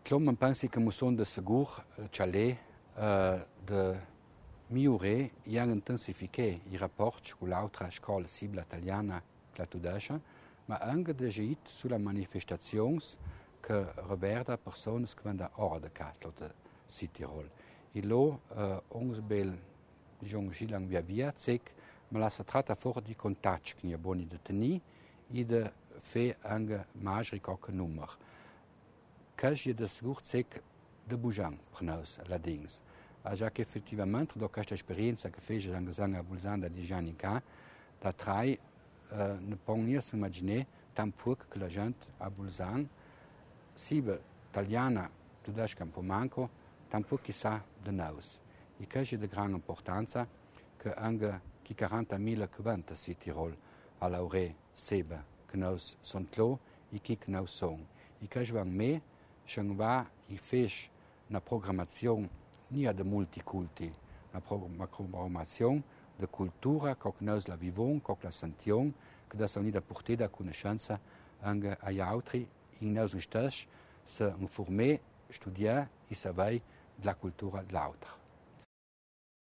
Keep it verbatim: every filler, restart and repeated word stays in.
Clom pensi che musson de segur chalé uh, de migliorare e intensificare i rapporti con l'altra scuola civile italiana che la tudescia, ma anche de agit sulla manifestazioni che riguarda persone che vanno da ora de Catlo de Südtirol. E lo uh, uns bel, diciamo, gilang via via, sec, ma la si tratta fuori di contatti che ne buoni di tenere e di fare anche maggiori qualche numero. Che è de segur sec de bujan per noi, all'adings. A già che effettivamente, da questa esperienza che fece anche a Bulzan da dieci anni fa, da trai uh, ne pogniamo immaginare tampoco che la gente a Bulzan, sibe italiana, tudesca un po' manco, tampoco chissà de noi. E che è di grande importanza che anche chi quarantamila che vanno a Südtirol a lauree sebe che noi sono clo e chi che noi sono. E che è me, se va e fece una programmazione non di multiculti, una programmazione di cultura che noi la viviamo, che la sentiamo, che da sono da portare a conoscenza anche agli altri, e noi stessi se informare, studiare e sapere della cultura dell'altro.